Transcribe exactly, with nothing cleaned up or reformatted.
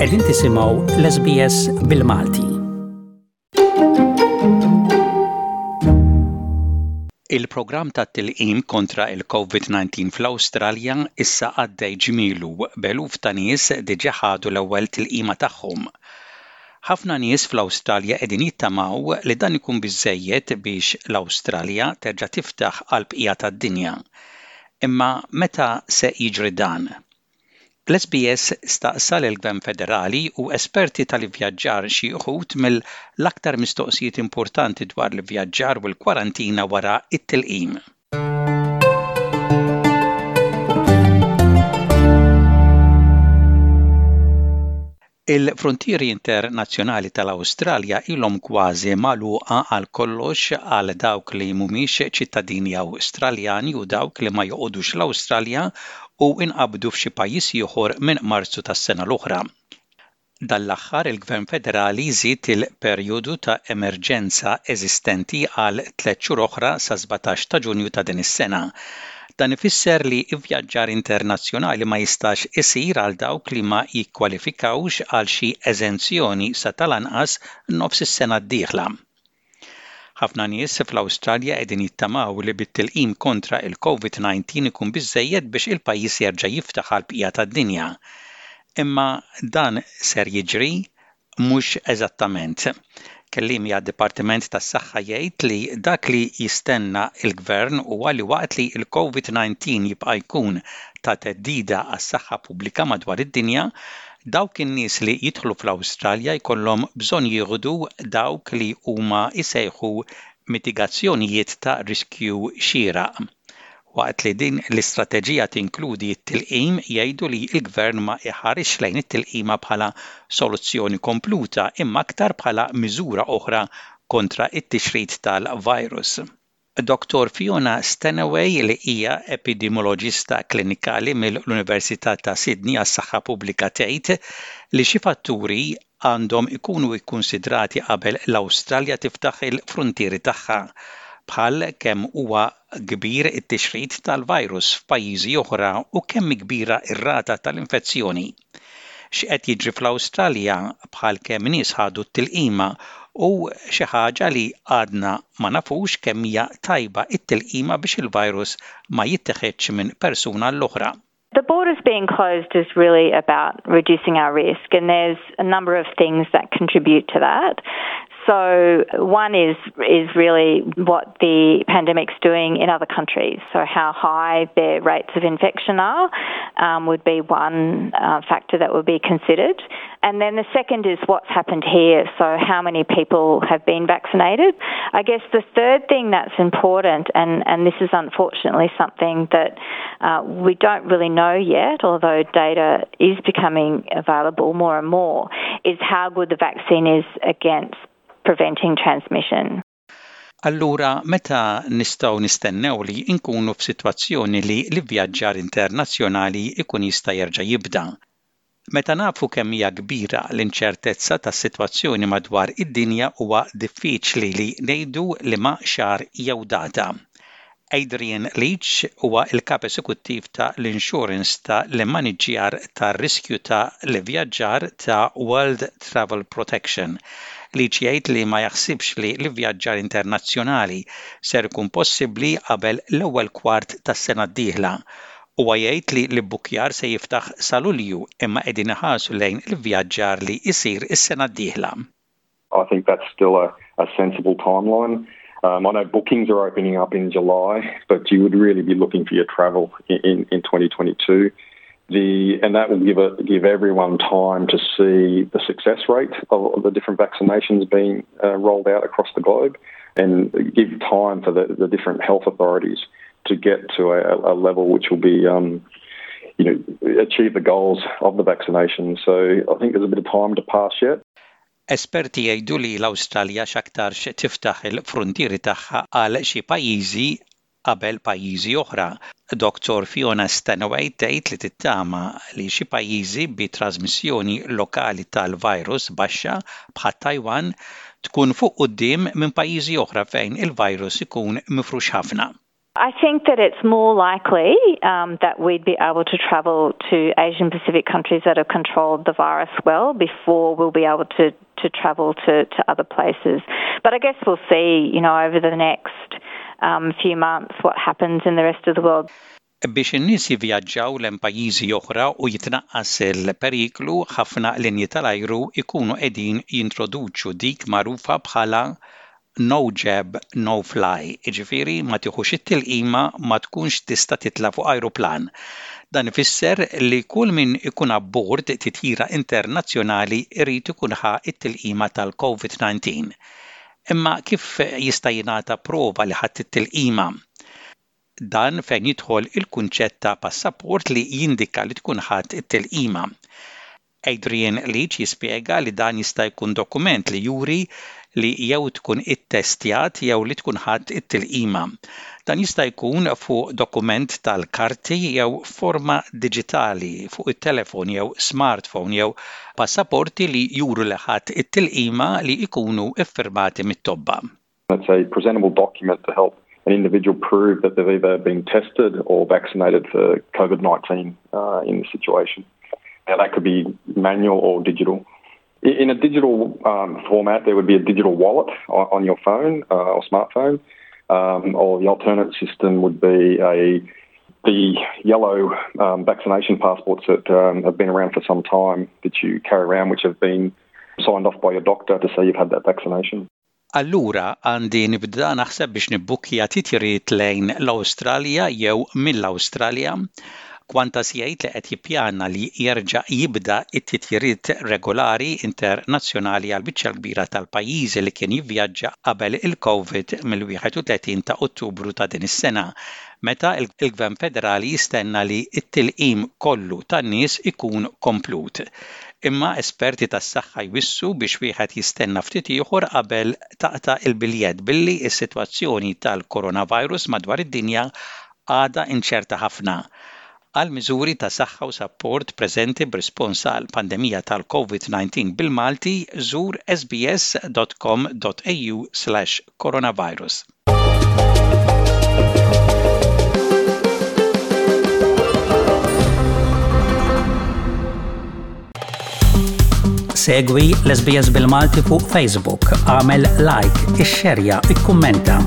Qegħdin tisimgħu l-S B S bil-Malti. Il-programm ta' tilqim kontra il-COVID disa fl-Awstralja issa għaddej ġmielu, b'eluf ta' nies diġà ħadu l-ewwel tilqima tagħhom. Ħafna nies fl-Awstralja qegħdin jittamaw li dan ikun biżejjed biex l-Awstralja terġa' tiftaħ għal bqija tad-dinja. Imma meta se jiġri dan? L-S B S staqsa l-Gvern Federali u esperti tal-ivvjaġġar xi wħud mill-aktar mistoqsijiet importanti dwar l-ivvjaġġar u l-kwarantina wara it-tilqim. Il-frontieri internazzjonali tal-Awstralja ilhom kważi magħluqa għal kollox għal dawk li mhumiex ċittadini Awstraljani u dawk li ma joqogħdux l-Awstralja u inqabdu f'xi pajjiż ieħor minn Marzu tas-sena l-oħra. Dan l-aħħar, il-Gvern Federali żied il-perjodu ta' emerġenza eżistenti għal tliet xhur oħra sa sbatax ta' Ġunju ta' din is-sena. Dan ifisser li vvjaġġar internazzjonali ma jistax isir għal dawk li ma jikkwalifikawx għal xi eżenzjoni sa tal-anqas nofs is-sena d-dieħla. Ħafna nies fl-Awstralja qegħdin jittamaw li bit-tilqim kontra il-COVID disa ikun biżejjed biex il-pajjiż jerġa' jiftaħ għal bqija tad-dinja. Imma dan ser jiġri? Mhux eżattament. Kelliem għad-Dipartiment tas-Saħħa jgħid li dak li jistenna il-Gvern huwa li waqt li l-COVID disa jibqa' jkun ta' theddida għas-saħħa pubblika madwar id-dinja, dawk in-nies li jidħlu fl-Awstralja jkollhom bżonn jieħdu dawk li huma jsejħu mitigazzjonijiet ta' riskju xieraq. Waqt li din l-istrateġija tinkludi t-tilqim, jgħidu li l-gvern ma iħarisx lejn it-tilqima bħala soluzzjoni kompluta, imma aktar bħala miżura oħra kontra it-tixrid tal-virus. Doktor Fiona Stanaway, li hija epidemioloġista klinikali mill-Università ta' Sydney għas-Saħħa Pubblika, tgħid li xi fatturi għandhom ikunu ikkonsidrati qabel l-Awstralja tiftaħ il-frontieri tagħha, bħal kemm huwa kbir it-tixrid tal-virus f'pajjiżi oħra u kemm kbira ir-rata tal-infezzjoni. X'qed jiġri fl-Awstralja, bħal kemm nies ħadu t-tilqima, u xi ħaġa li għadna ma nafux, kemm hija tajba it-tilqima biex il-virus ma jitteħedx minn persuna l-oħra. The borders being closed is really about reducing our risk, and there's a number of things that contribute to that. So one is is really what the pandemic's doing in other countries. So how high their rates of infection are um, would be one uh, factor that would be considered. And then the second is what's happened here. So how many people have been vaccinated. I guess the third thing that's important, and, and this is unfortunately something that uh, we don't really know yet, although data is becoming available more and more, is how good the vaccine is against preventing transmission. Allura, meta nistgħu nistennew li nkunu f'sitwazzjoni li l-ivvjaġġar internazzjonali ikun jista' jerġa' jibda? Meta nafu kemm hija kbira l-inċertezza tas-sitwazzjoni madwar id-dinja, huwa diffiċli li ngħidu liema xahar jew data. Adrian Leach huwa il-kap esekuttiv ta' l-insurance ta' l-immaniġġjar tar-riskju ta' l-ivvjaġġar ta' World Travel Protection. Leach jgħid li ma jaħsibx li l-ivvjaġġar internazzjonali ser ikun possibbli qabel l-ewwel kwart tas-sena d-dieħla. Huwa jgħid li l-ibbukjar se jiftaħ sa Lulju, imma qegħdin iħarsu lejn l-ivvjaġġar li jsir is-sena d-dieħla. I think that's still a, a sensible timeline. Um, I know bookings are opening up in July, but you would really be looking for your travel in, in, in twenty twenty-two. The, and that will give, a, give everyone time to see the success rate of the different vaccinations being uh, rolled out across the globe and give time for the, the different health authorities to get to a, a level which will be, um, you know, achieve the goals of the vaccination. So I think there's a bit of time to pass yet. Esperti jgħidu li l-Awstralja x'aktarx tiftaħ il-frontieri tagħha għal xi pajjiżi qabel pajjiżi oħra. Doktor Fiona Stanaway tgħid li tittama li xi pajjiżi bi trasmissjoni lokali tal-virus baxxa, bħal Taiwan, tkun fuq quddiem minn pajjiżi oħra fejn il-virus ikun mifrux ħafna. I think that it's more likely um, that we'd be able to travel to Asian Pacific countries that have controlled the virus well before we'll be able to, to travel to, to other places. But I guess we'll see, you know, over the next um, few months what happens in the rest of the world. Biex in-nies jivvjaġġaw lejn pajjiżi oħra u jitnaqqas il-periklu, ħafna linji tal-ajru ikunu qegħdin jintroduċu dik magħrufa bħala no jab, no fly, jiġifieri ma tiħux it-tilqima ma tkunx tista' titla' fuq ajruplan. Dan ifisser li kull min ikun abbord titjira internazzjonali irid ikun ħa it-tilqima tal-COVID nineteen. Imma kif jista' jingħata prova li ħadd it-tilqima? Dan fejn jidħol il-kunċett ta' passaport li jindika li tkun ħadd it-tilqima. Adrian Leach jispjega li dan jista' jkun dokument li juri li jew tkun ittestjat jew li tkun ħadd it-tilqima. Dan jista' jkun fuq dokument tal-karti jew forma diġitali fuq it-telefon jew smartphone jew passaporti li juru li ħadd it-tilqima li jkunu iffirmati mit-tobba. It's a presentable document to help an individual prove that they've either been tested or vaccinated for COVID nineteen uh, in the situation. Now, that could be manual or digital. In a digital um, format, there would be a digital wallet on, on your phone uh, or smartphone, um, or the alternate system would be a the yellow um, vaccination passports that um, have been around for some time that you carry around, which have been signed off by your doctor to say you've had that vaccination. Allura għandi nibda naħseb biex nibbukkja titjiriet lejn l-Awstralja jew mill-Awstralja. Qantas jgħid li qed jippjana li jerġa' jibda it-titjiriet regolari internazzjonali għal biċċa kbira tal-pajjiżi li kien jivvjaġġa qabel il-COVID mill-wieħed u tletin ta' Ottubru ta' din is-sena, meta il-Gvern Federali jistenna li t-tilqim kollu tan-nies ikun komplut. Imma esperti tas-saħħa jwissu biex wieħed jistenna ftit ieħor qabel taqta' il-biljett billi s-sitwazzjoni tal-coronavirus madwar id-dinja għadha inċerta ħafna. Għal miżuri ta' saħħa u sapport preżenti b'rispons għal pandemija tal-COVID nineteen bil-Malti, żur S B S dot com dot A U slash coronavirus. Segwi l-S B S bil-Malti fuq Facebook, għamel like, ixxerja, ikkummenta.